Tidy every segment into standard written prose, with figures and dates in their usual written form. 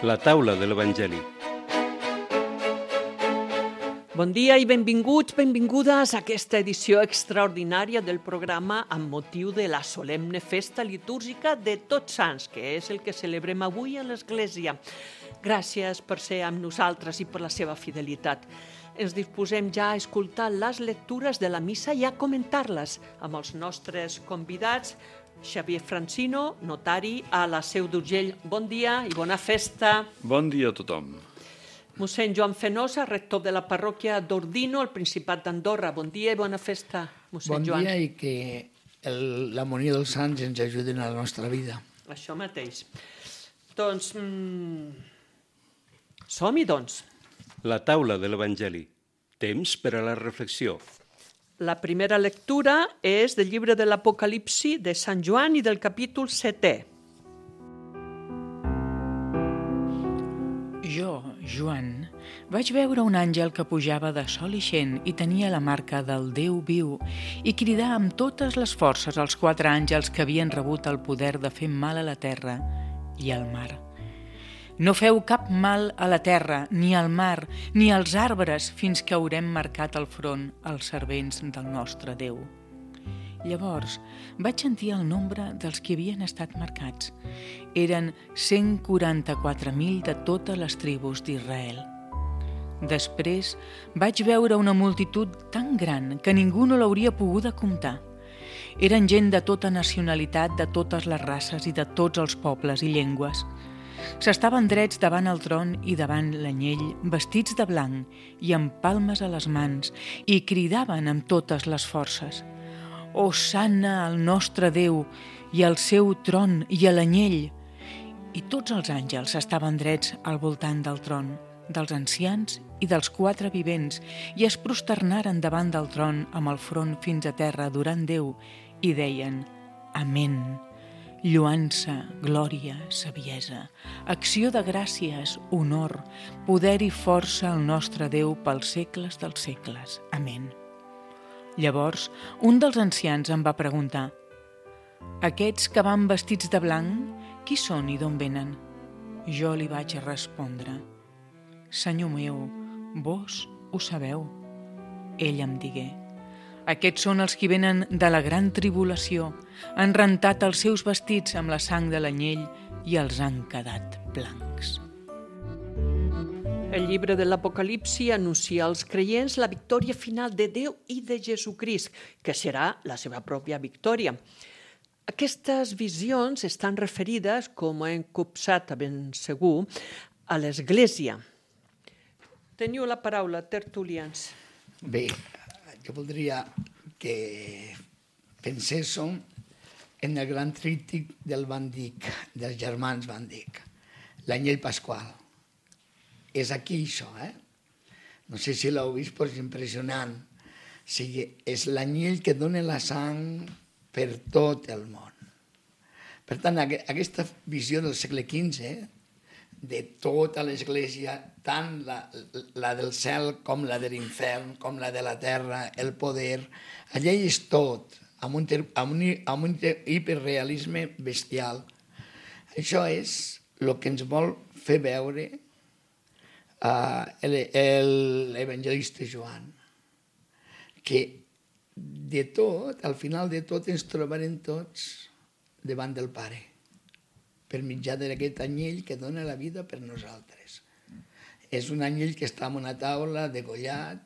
La taula de l'Evangeli. Bon dia i benvinguts, benvingudes a aquesta edició extraordinària del programa amb motiu de la solemne festa litúrgica de Tots Sants, que és el que celebrem avui a l'Església. Gràcies per ser amb nosaltres i per la seva fidelitat. Ens disposem ja a escoltar les lectures de la missa i a comentar-les amb els nostres convidats. Xavier Francino, notari a la Seu d'Urgell. Bon dia i bona festa. Bon dia a tothom. Mossèn Joan Fenosa, rector de la parròquia d'Ordino, al Principat d'Andorra. Bon dia i bona festa, mossèn Joan. Bon dia i que l'harmonia dels sants ens ajudin a la nostra vida. Això mateix. Doncs, som-hi, doncs. La taula de l'Evangeli. Temps per a la reflexió. La primera lectura és del llibre de l'Apocalipsi de Sant Joan i del capítol 7è. Jo, Joan, vaig veure un àngel que pujava de sol ixent i tenia la marca del Déu viu i cridar amb totes les forces als 4 àngels que havien rebut el poder de fer mal a la terra i al mar. No feu cap mal a la terra, ni al mar, ni als arbres, fins que haurem marcat el front als servents del nostre Déu. Llavors vaig sentir el nombre dels que havien estat marcats. Eren 144.000 de totes les tribus d'Israel. Després vaig veure una multitud tan gran que ningú no l'hauria poguda comptar. Eren gent de tota nacionalitat, de totes les races i de tots els pobles i llengües. S'estaven drets davant el tron i davant l'anyell, vestits de blanc i amb palmes a les mans, i cridaven amb totes les forces: «Hosanna al nostre Déu i al seu tron i a l'anyell!» I tots els àngels estaven drets al voltant del tron, dels ancians i dels 4 vivents, i es prosternaren davant del tron amb el front fins a terra adorant Déu i deien: «Amén». Lloança, glòria, saviesa, acció de gràcies, honor, poder i força al nostre Déu pels segles dels segles. Amén. Llavors, un dels ancians em va preguntar: «Aquests que van vestits de blanc, qui són i d'on venen?» Jo li vaig respondre: «Senyor meu, vos ho sabeu». Ell em digué: «Aquests són els que venen de la gran tribulació, han rentat els seus vestits amb la sang de l'anyell i els han quedat blancs». El llibre de l'Apocalipsi anuncia als creients la victòria final de Déu i de Jesucrist, que serà la seva pròpia victòria. Aquestes visions estan referides, com hem copsat a ben segur, a l'Església. Teniu la paraula, tertulians. Bé, jo voldria que penséssim en el gran tríptic del Van Dyck, dels germans Van Dyck, l'anyell pasqual. És aquí això, No sé si l'heu vist, però és impressionant. O sigui, és l'anyell que dona la sang per tot el món. Per tant, aquesta visió del segle XV, de tota l'Església, tant la del cel com la de l'infern, com la de la terra, el poder, allà hi és tot, amb un hiperrealisme bestial. Això és el que ens vol fer veure l'evangelista Joan, que de tot, al final de tot, ens trobarem tots davant del Pare, per mitjà d'aquest anyell que dona la vida per nosaltres. És un anyell que està en una taula degollat,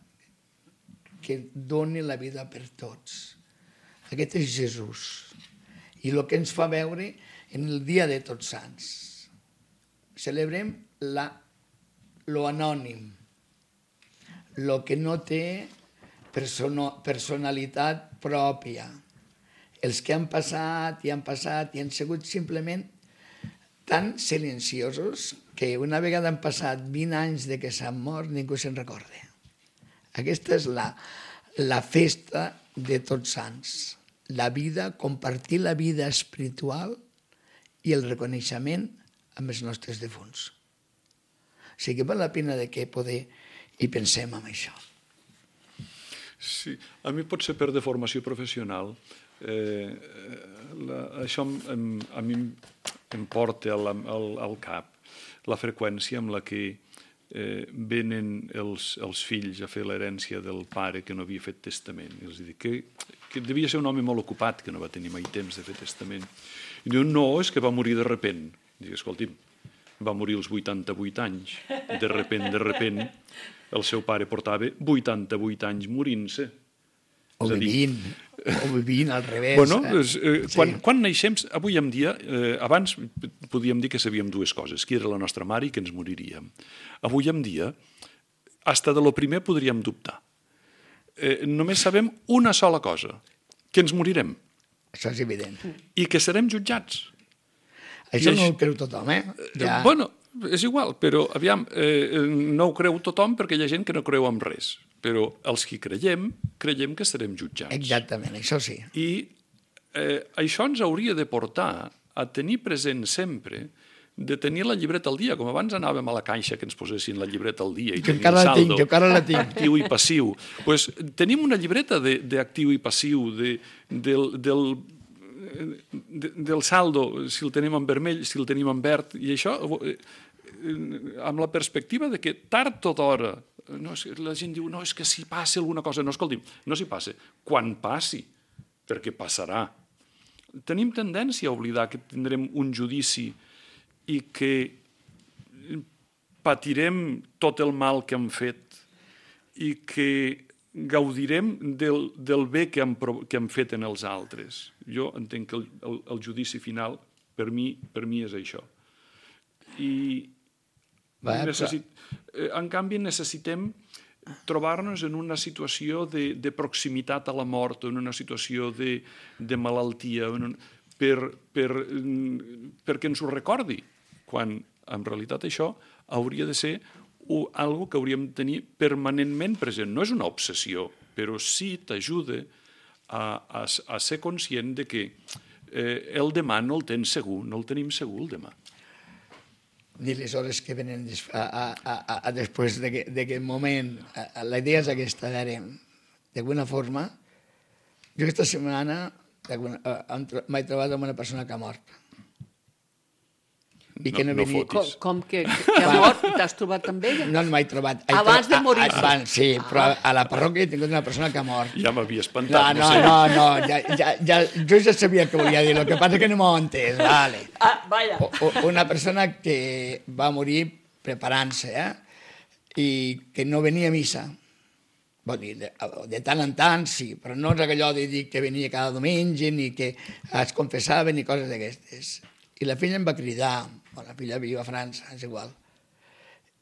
que dona la vida per tots. Aquest és Jesús. I el que ens fa veure en el dia de Tots Sants. Celebrem lo anònim, lo que no té personalitat pròpia. Els que han passat i han sigut simplement tan silenciosos que una vegada han passat 20 anys de que s'han mort, ningú se'n recorda. Aquesta és la festa de Tots Sants. La vida, compartir la vida espiritual i el reconeixement amb els nostres defunts. O sigui que val la pena de que poder hi pensem en això. Sí, a mi pot ser per deformació professional. Això a mi em porta al cap la freqüència amb la que venen els fills a fer l'herència del pare que no havia fet testament. I els dic que devia ser un home molt ocupat, que no va tenir mai temps de fer testament. I diuen, no, és que va morir de repent. Dic, escolti'm, va morir als 88 anys. De repent, el seu pare portava 88 anys morint-se. O vivint al revés. Bueno, quan naixem, avui en dia, abans podíem dir que sabíem dues coses, qui era la nostra mare i que ens moriríem. Avui en dia, hasta de lo primer podríem dubtar. Només sabem una sola cosa, que ens morirem. Això és evident. I que serem jutjats. Això no ho creu tothom, eh? Ja. Bueno, és igual, però aviam, no ho creu tothom perquè hi ha gent que no creu en res. Però els que creiem que serem jutjats. Exactament, això sí. I això ens hauria de portar a tenir present sempre de tenir la llibreta al dia, com abans anàvem a la caixa que ens posessin la llibreta al dia i tenir saldo, jo encara la tinc. actiu i passiu. Pues, tenim una llibreta d'actiu i passiu, del saldo, si el tenim en vermell, si el tenim en verd, i això amb la perspectiva de que tard o d'hora, la gent diu, no, és que si passa alguna cosa, no, escolti'm, no si passa, quan passi, perquè passarà. Tenim tendència a oblidar que tindrem un judici i que patirem tot el mal que hem fet i que gaudirem del bé que hem fet en els altres. Jo entenc que el judici final per mi és això. En canvi necessitem trobar-nos en una situació de proximitat a la mort o en una situació de malaltia perquè ens ho recordi, quan en realitat això hauria de ser algo que hauríem de tenir permanentment present. No és una obsessió, però sí t'ajuda a ser conscient de que el demà no el tens segur, no el tenim segur el demà. Ni les hores que venen després d'aquest moment. La idea és aquesta, d'alguna forma, jo aquesta setmana m'he trobat amb una persona que ha mort. I que no venia... Com que ha mort? T'has trobat amb ella? No m'he trobat. Abans de morir-se? Sí, però a la parròquia he tingut una persona que ha mort. Ja m'havia espantat. No, jo ja sabia què volia dir, el que passa que no m'ho he entès. Vale. Vaja. Una persona que va morir preparant-se, i que no venia a missa. De tant en tant, sí, però no és allò de dir que venia cada diumenge, ni que es confessava, ni coses d'aquestes. I la filla em va cridar, la filla viu a França, és igual,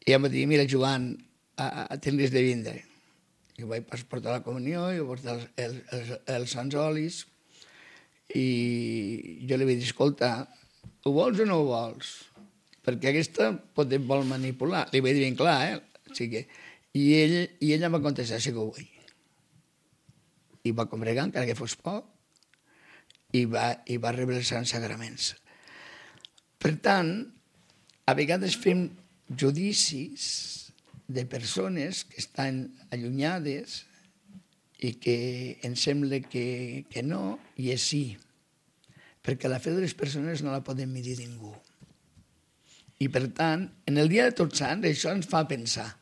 i em va dir, mira, Joan, tens de vindre. I vaig portar la comunió, i vaig portar els sants olis, i jo li vaig dir, escolta, ho vols o no ho vols? Perquè aquesta pot vol manipular. Li vaig dir ben clar, I ella em va contestar, sí que ho vull. I va congregar, encara que fos poc, i va rebre els sants sagraments. Per tant, a vegades fem judicis de persones que estan allunyades i que ens sembla que no, i és sí. Perquè la fe de les persones no la podem medir ningú. I per tant, en el dia de Tots Sants, això ens fa pensar.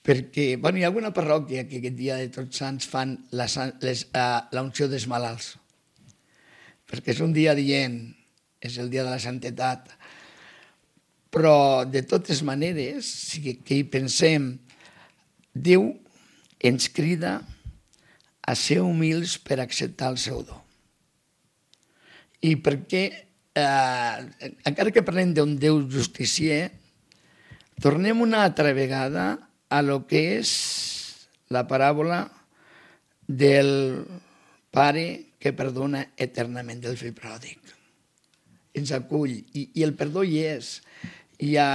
Perquè, hi ha alguna parròquia que aquest dia de Tots Sants fan l'unció dels malalts. Perquè és un dia dient, és el dia de la santetat. Però, de totes maneres, que hi pensem, Déu ens crida a ser humils per acceptar el seu do. I perquè, encara que parlem d'un Déu justicier, tornem una altra vegada a lo que és la paràbola del pare que perdona eternament del fill pròdig. Ens acull, i el perdó hi és. Jo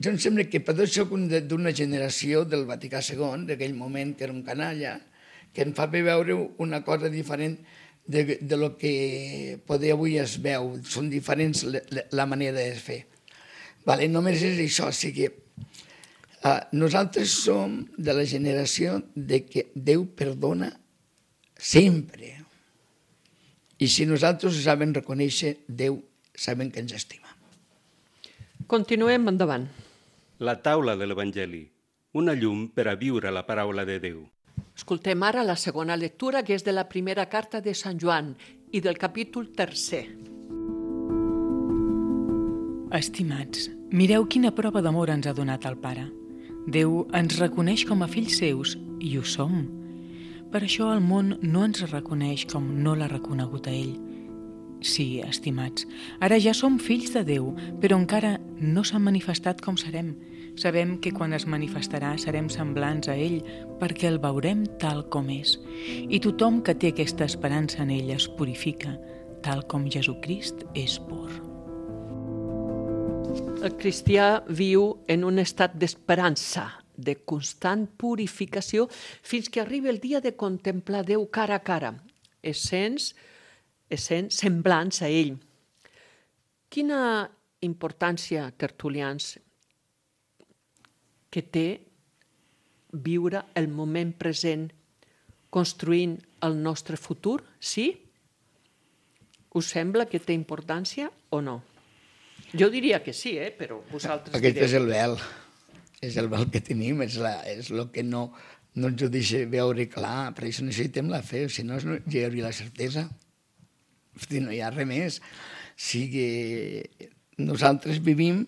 em sembla que per això soc d'una generació del Vaticà II, d'aquell moment que era un canalla, que em fa veure una cosa diferent de lo que poder avui es veu. Són diferents la manera de fer. Només és això, nosaltres som de la generació de que Déu perdona sempre. I si nosaltres sabem reconèixer, Déu sabem que ens estima. Continuem endavant. La taula de l'Evangeli, una llum per a viure la paraula de Déu. Escoltem ara la segona lectura, que és de la primera carta de Sant Joan i del capítol 3. Estimats, mireu quina prova d'amor ens ha donat el Pare. Déu ens reconeix com a fills seus i ho som. Per això el món no ens reconeix com no l'ha reconegut a ell. Sí, estimats, ara ja som fills de Déu, però encara no s'ha manifestat com serem. Sabem que quan es manifestarà serem semblants a ell perquè el veurem tal com és. I tothom que té aquesta esperança en ell es purifica, tal com Jesucrist és pur. El cristià viu en un estat d'esperança, de constant purificació, fins que arribi el dia de contemplar Déu cara a cara, essent semblants a ell. Quina importància, tertulians, que té viure el moment present construint el nostre futur, sí? Us sembla que té importància o no? Jo diria que sí, però vosaltres Aquest direu. és el vel. És el vel que tenim, és el que no ens ho deixa veure clar. Per això necessitem la fe, si no hi hauria la certesa. Hosti, no hi ha res més. Nosaltres vivim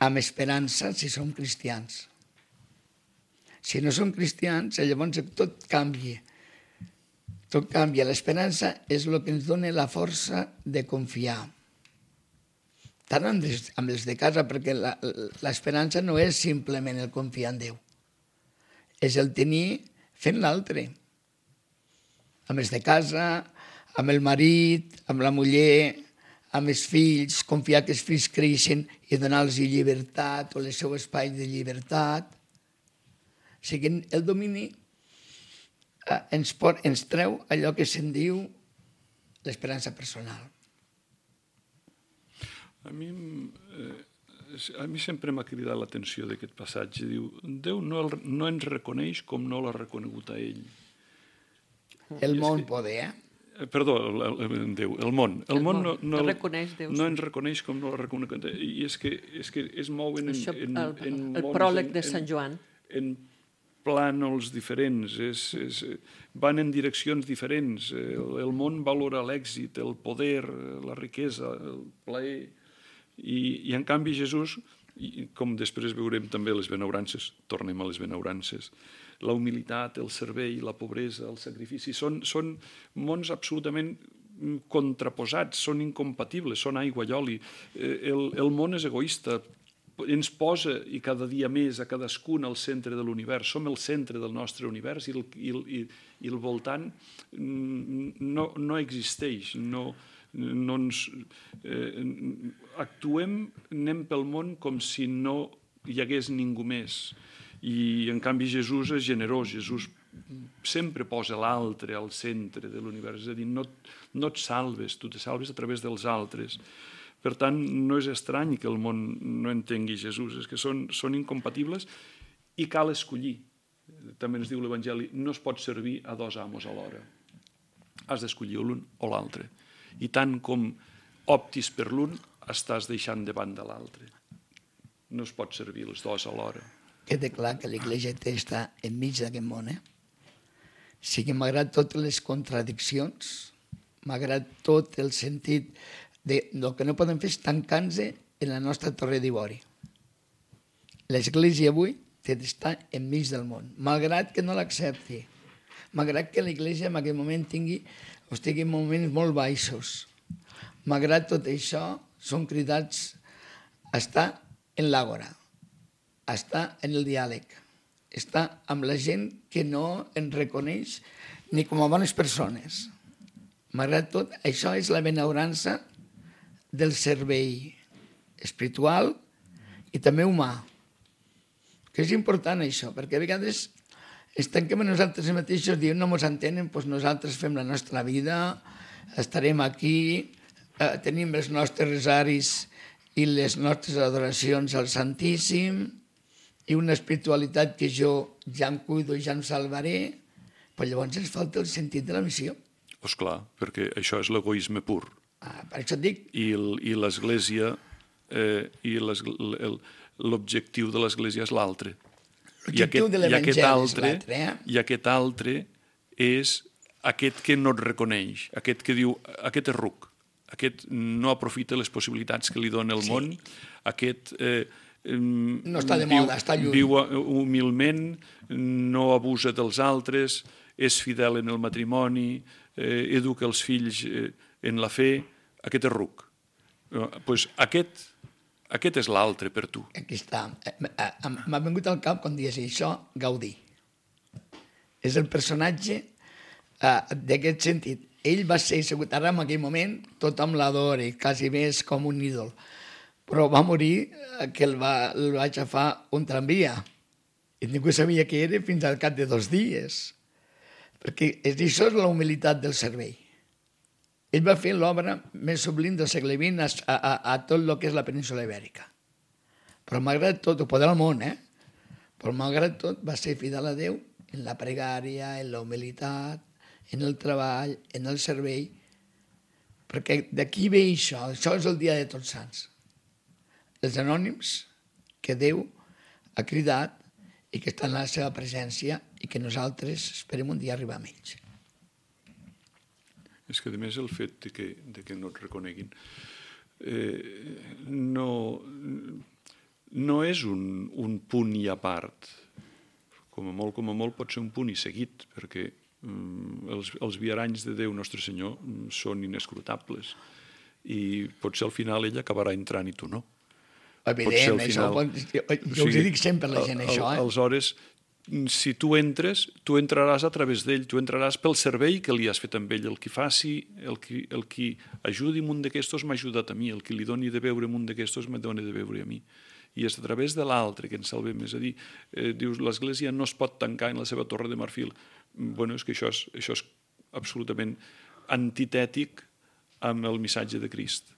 amb esperança si som cristians. Si no som cristians, llavors tot canvia. Tot canvia. L'esperança és el que ens dona la força de confiar. Tant amb els de casa, perquè l'esperança no és simplement el confiar en Déu. És el tenir fent l'altre. Amb els de casa, amb el marit, amb la muller, amb els fills, confiar que els fills creixen i donar-los llibertat o el seu espai de llibertat. O sigui, el domini ens treu allò que se'n diu l'esperança personal. A mi sempre m'ha cridat l'atenció d'aquest passatge. Diu, Déu no ens reconeix com no l'ha reconegut a ell. El món poder, Perdó, Déu, el món. El món no reconeix Déu, no ens reconeix com no l'ha reconegut. I és que es mouen el pròleg de Sant Joan. En plànols diferents, van en direccions diferents. El món valora l'èxit, el poder, la riquesa, el plaer. I en canvi Jesús, com després veurem també les benaurances, tornem a les benaurances, la humilitat, el servei, la pobresa, el sacrifici, són mons absolutament contraposats, són incompatibles, són aigua i oli. El món és egoista, ens posa i cada dia més a cadascun al centre de l'univers, som el centre del nostre univers i el voltant no existeix, actuem, anem pel món com si no hi hagués ningú més. I en canvi Jesús és generós, Jesús sempre posa l'altre al centre de l'univers, és a dir, no et salves, tu te salves a través dels altres. Per tant, no és estrany que el món no entengui Jesús, és que són incompatibles i cal escollir. També ens diu l'Evangeli, no es pot servir a dos amos alhora. Has d'escollir l'un o l'altre. I tant com optis per l'un, estàs deixant de banda l'altre. No es pot servir els dos alhora. Queda clar que l'Església està enmig d'aquest món. Sí que malgrat totes les contradiccions, malgrat tot el sentit el que no podem fer és tancar-nos en la nostra torre d'ivori. L'Església avui té d'estar enmig del món, malgrat que no l'accepti, malgrat que l'Església en aquest moment estigui en moments molt baixos. Malgrat tot això, som cridats a estar en l'àgora, a estar en el diàleg, a estar amb la gent que no ens reconeix ni com a bones persones. Malgrat tot, això és la benaurança del servei espiritual i també humà, que és important això, perquè a vegades ens tanquem a nosaltres mateixos, diem no ens entenen, doncs nosaltres fem la nostra vida, estarem aquí, tenim els nostres rosaris i les nostres adoracions al Santíssim i una espiritualitat que jo ja em cuido i ja em salvaré, però llavors ens falta el sentit de la missió. Esclar, perquè això és l'egoisme pur. Per això et dic. I l'Església i l'objectiu de l'Església és l'altre. L'objectiu de l'Evangeli és l'altre. I aquest altre és aquest que no et reconeix, aquest que diu, aquest és ruc, aquest no aprofita les possibilitats que li dona el món, aquest no està de moda, està lluny. Viu humilment, no abusa dels altres, és fidel en el matrimoni, educa els fills en la fe, aquest és ruc. Pues aquest és l'altre per tu. Aquí està. M'ha vingut al cap quan dius això, Gaudí. És el personatge d'aquest sentit. Ell va ser assegut, ara en aquell moment tothom l'adora, quasi bé és com un ídol, però va morir que el va aixafar un tramvia i ningú sabia què era fins al cap de 2 dies, perquè això és la humilitat del servei. Ell va fer l'obra més sublim del segle XX a tot el que és la península ibèrica, però malgrat tot, ho pot del món, però malgrat tot va ser fidel a Déu en la pregària, en la humilitat, en el treball, en el servei, perquè d'aquí ve això és el dia de Tots Sants. Els anònims que Déu ha cridat i que estan en la seva presència i que nosaltres esperem un dia arribar amb ells. És que, a més, el fet de que no et reconeguin no és un punt i a part. Com a molt pot ser un punt i seguit, perquè els viaranys de Déu Nostre Senyor són inescrutables i potser al final ell acabarà entrant i tu no. Evident, jo us dic sempre a la gent això. Aleshores, si tu entres, tu entraràs a través d'ell, tu entraràs pel servei que li has fet amb ell, el que faci, el qui ajudi un d'aquestos m'ha ajudat a mi, el que li doni de beure un d'aquestos me doni de beure a mi. I és a través de l'altre que ens salvem. És a dir, dius, l'Església no es pot tancar en la seva torre de marfil. Bueno, és que això és absolutament antitètic amb el missatge de Crist.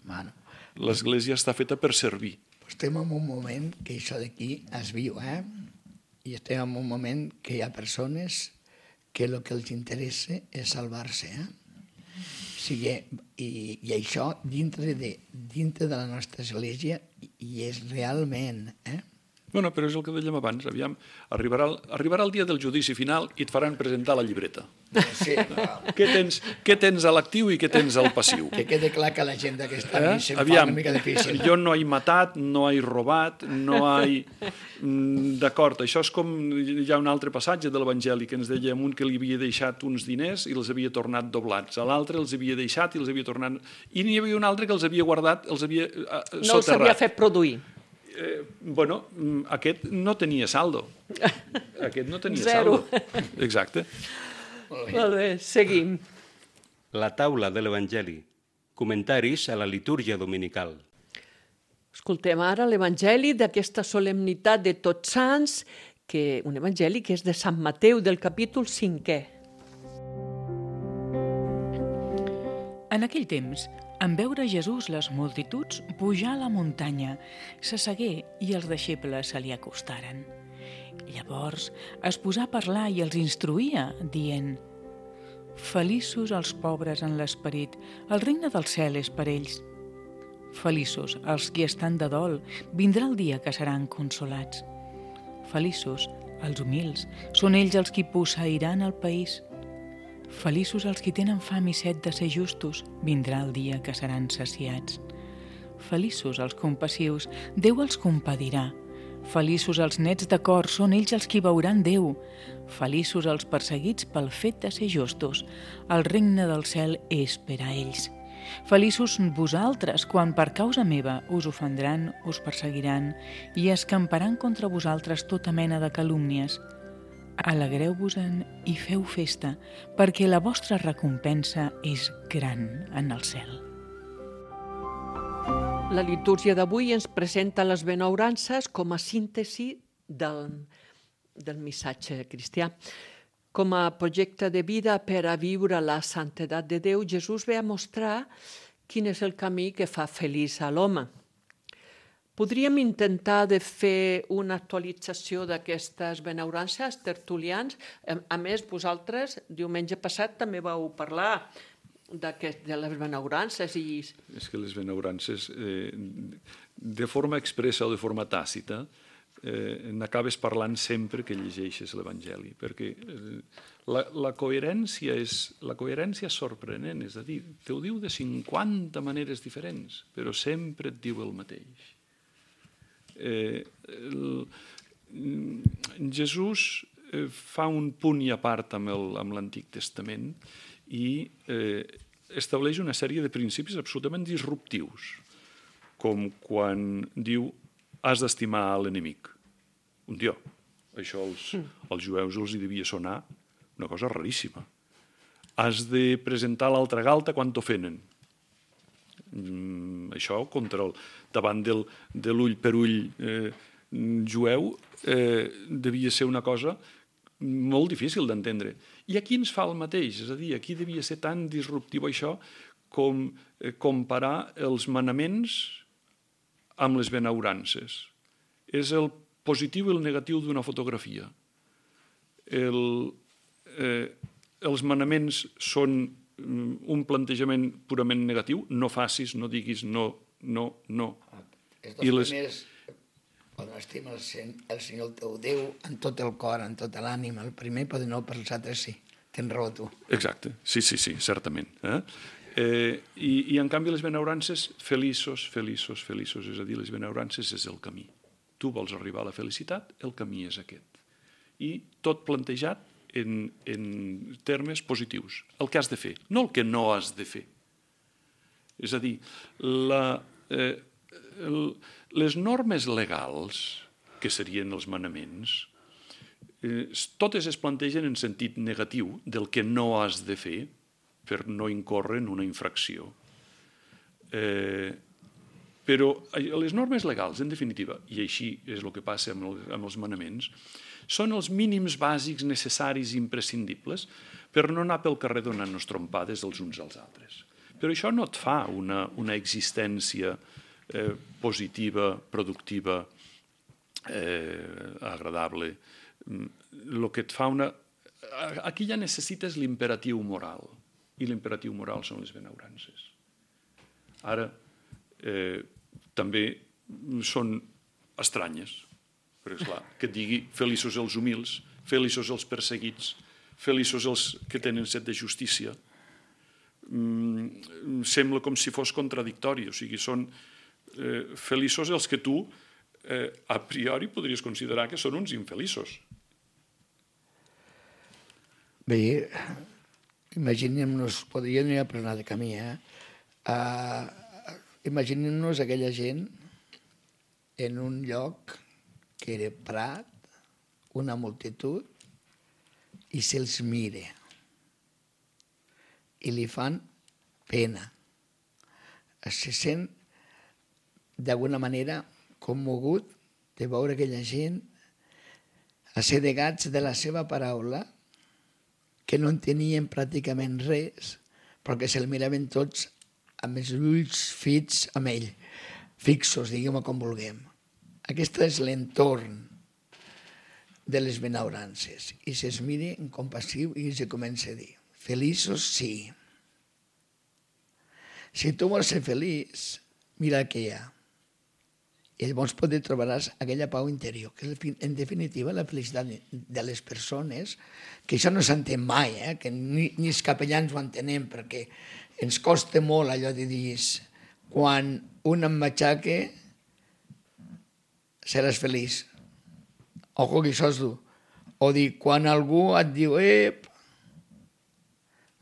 L'Església està feta per servir. Estem en un moment que això d'aquí es viu, i estem en un moment que hi ha persones que el que els interessa és salvar-se, i això dintre de la nostra església i és realment, Bueno, però és el que dèiem abans, aviam, arribarà el dia del judici final i et faran presentar la llibreta. Sí. Què tens a l'actiu i què tens al passiu? Que quede clar que la gent d'aquesta nit se'n fa una mica difícil. Jo no he matat, no he robat, no he... D'acord, això és com... Hi ha un altre passatge de l'Evangeli que ens deia un que li havia deixat uns diners i els havia tornat doblats. A l'altre els havia deixat i els havia tornat... I n'hi havia un altre que els havia guardat, els havia soterrat. No els havia fet produir. Bueno, aquest no tenia saldo. Aquest no tenia Zero. saldo. Exacte. Molt bé, seguim. La taula de l'Evangeli. Comentaris a la litúrgia dominical. Escoltem ara l'Evangeli d'aquesta solemnitat de Tots Sants, un evangeli que és de Sant Mateu, del capítol 5è. En aquell temps, en veure Jesús les multituds pujar a la muntanya, s'assegué i els deixebles se li acostaren. Llavors es posà a parlar i els instruïa, dient: Feliços els pobres en l'esperit, el regne del cel és per ells. Feliços els qui estan de dol, vindrà el dia que seran consolats. Feliços els humils, són ells els qui posseiran el país. Feliços els qui tenen fam i set de ser justos, vindrà el dia que seran saciats. Feliços els compassius, Déu els compadirà. Feliços els nets de cor, són ells els qui veuran Déu. Feliços els perseguits pel fet de ser justos, el regne del cel és per a ells. Feliços vosaltres, quan per causa meva us ofendran, us perseguiran i escamparan contra vosaltres tota mena de calúmnies. Alegreu-vos-en i feu festa, perquè la vostra recompensa és gran en el cel. La litúrgia d'avui ens presenta les benaurances com a síntesi del missatge cristià. Com a projecte de vida per a viure la santedat de Déu, Jesús ve a mostrar quin és el camí que fa feliç a l'home. Podríem intentar de fer una actualització d'aquestes benaurances, tertulians. A més, vosaltres, diumenge passat, també vau parlar de les benaurances i... És que les benaurances, de forma expressa o de forma tàcita, n'acabes parlant sempre que llegeixes l'Evangeli, perquè la coherència és sorprenent, és a dir, te ho diu de 50 maneres diferents, però sempre et diu el mateix. Jesús fa un punt i a part amb l'Antic Testament i estableix una sèrie de principis absolutament disruptius, com quan diu has d'estimar l'enemic. Un dia, això als jueus els hi devia sonar una cosa raríssima. Has de presentar l'altra galta quan t'ofenen. Això davant de l'ull per ull jueu devia ser una cosa molt difícil d'entendre. I aquí ens fa el mateix, és a dir, aquí devia ser tan disruptiu això com comparar els manaments amb les benaurances. És el positiu i el negatiu d'una fotografia. Els manaments són un plantejament purament negatiu, no facis, no diguis no. Els dos primers, quan estima el Senyor el teu Déu en tot el cor, en tota l'ànima, el primer, però no per els altres sí. Tens raó tu. Exacte, sí, certament. I en canvi les benaurances, feliços, és a dir, les benaurances és el camí. Tu vols arribar a la felicitat, el camí és aquest. I tot plantejat en termes positius. El que has de fer, no el que no has de fer. És a dir, les normes legals, que serien els manaments, totes es plantegen en sentit negatiu del que no has de fer per no incórrer en una infracció. Però les normes legals, en definitiva, i així és el que passa amb els manaments, són els mínims bàsics necessaris i imprescindibles per no anar pel carrer donant-nos trompades els uns als altres. Però això no et fa una existència positiva, productiva, agradable. El que et fa aquí ja necessites l'imperatiu moral, i l'imperatiu moral són les benaurances. Ara, també són estranyes, perquè esclar, que et digui feliços els humils, feliços els perseguits, feliços els que tenen set de justícia, sembla com si fos contradictori, o sigui, són feliços els que tu a priori podries considerar que són uns infeliços. Bé, imaginem-nos, podria anar a parlar de camí, imaginem-nos aquella gent en un lloc que era prat, una multitud, i se'ls mira i li fan pena. Se sent d'alguna manera commogut de veure aquella gent assedegats de la seva paraula, que no entenien pràcticament res, perquè se'l miraven tots amb els ulls fits amb ell, fixos, diguem-ho com vulguem. Aquest és l'entorn de les benaurances. I se'ls mira en compassiu i se comença a dir, feliços sí. Si tu vols ser feliç, mira el que hi ha. I llavors trobaràs aquella pau interior, que és en definitiva la felicitat de les persones, que això no s'entén mai, que ni els capellans ho entenem, perquè ens costa molt allò de dir quan un em matxaque seràs feliç. Ojo que això és dur. O dir, quan algú et diu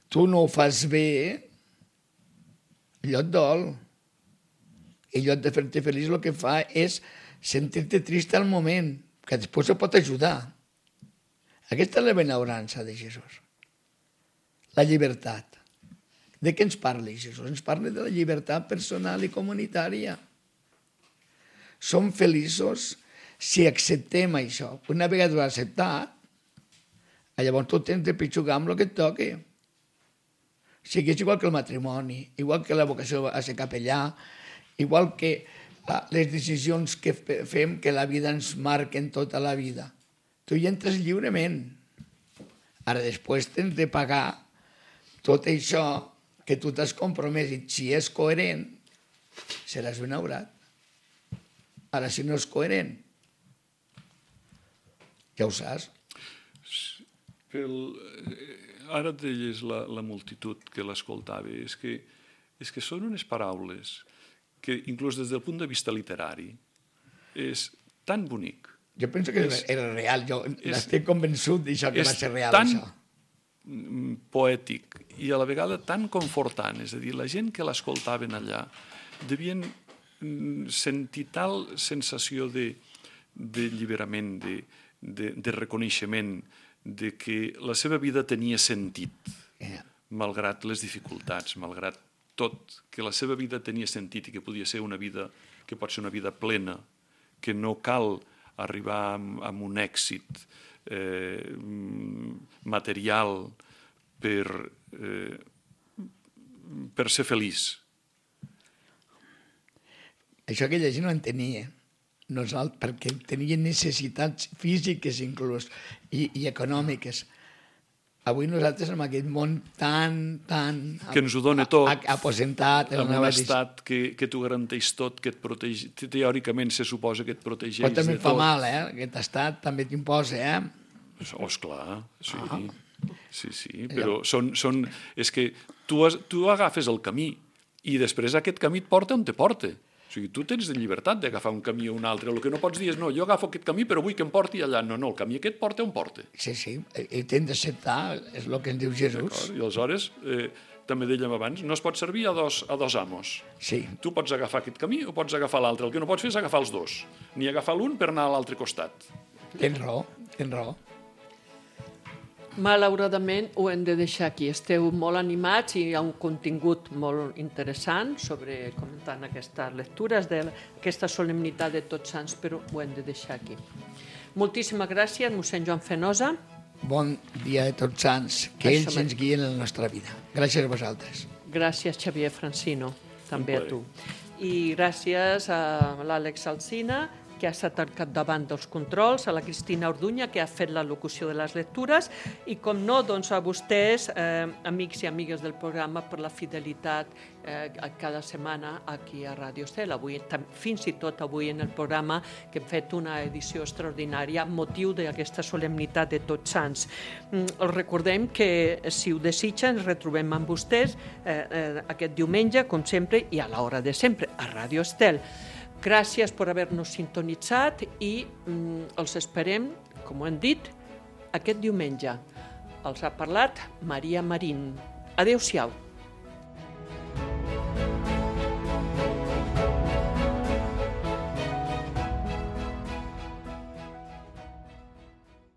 tu no ho fas bé, allò et dol. I allò de fer-te feliç el que fa és sentir-te trist al moment, que després ho pot ajudar. Aquesta és la benaurança de Jesús. La llibertat. De què ens parla Jesús? Ens parla de la llibertat personal i comunitària. Som feliços si acceptem això. Una vegada ho has acceptat, llavors tu tens de pitjugar amb el que et toqui. O sigui, és igual que el matrimoni, igual que la vocació a ser capellà, igual que les decisions que fem, que la vida ens marquen tota la vida. Tu hi entres lliurement. Ara després tens de pagar tot això que tu t'has compromès i si és coherent, seràs benaurat. Ara, si no és coherent, ja ho saps. Ara et deies la multitud que l'escoltava. És que són unes paraules que, inclús des del punt de vista literari, és tan bonic. Jo penso que era real. Jo estic convençut d'això que va ser real. És tan poètic i a la vegada tan confortant. És a dir, la gent que l'escoltaven allà devien sentir tal sensació d'alliberament, de reconeixement, de que la seva vida tenia sentit, malgrat les dificultats, malgrat tot, que la seva vida tenia sentit i que podia ser una vida, que pot ser una vida plena, que no cal arribar amb un èxit material per ser feliç. Això aquella gent no en tenia. Perquè tenien necessitats físiques inclús i econòmiques. Avui nosaltres en aquest món tan que ens ho dona tot, aposentat, amb un estat que t'ho garanteix tot, que et protegeix, teòricament se suposa que et protegeix de tot. Però també fa mal, aquest estat també t'imposa, Esclar, sí. Sí, però és que tu agafes el camí i després aquest camí et porta on te porta. O sigui, tu tens llibertat d'agafar un camí o un altre. El que no pots dir és, no, jo agafo aquest camí però vull que em porti allà. No, el camí aquest porta on porta. Sí, i t'hem d'acceptar, és el que ens diu Jesús. I aleshores, també dèiem abans, no es pot servir a dos amos. Sí. Tu pots agafar aquest camí o pots agafar l'altre. El que no pots fer és agafar els dos, ni agafar l'un per anar a l'altre costat. Tens raó. Malauradament ho hem de deixar aquí. Esteu molt animats i hi ha un contingut molt interessant sobre comentant aquestes lectures d'aquesta solemnitat de Tots Sants, però ho hem de deixar aquí. Moltíssimes gràcies, mossèn Joan Fenosa. Bon dia de Tots Sants, que ells ens guien en la nostra vida. Gràcies a vosaltres. Gràcies, Xavier Francino, també a tu. I gràcies a l'Àlex Alsina, que ha estat al capdavant dels controls, a la Cristina Orduña, que ha fet la locució de les lectures, i com no, doncs a vostès, amics i amigues del programa, per la fidelitat cada setmana aquí a Ràdio Estel. Fins i tot avui en el programa, que hem fet una edició extraordinària amb motiu d'aquesta solemnitat de Tots Sants. Els recordem que, si ho desitgen, ens retrobem amb vostès aquest diumenge, com sempre, i a l'hora de sempre, a Ràdio Estel. Gràcies per haver-nos sintonitzat i els esperem, com ho hem dit, aquest diumenge. Els ha parlat Maria Marín. Adéu-siau.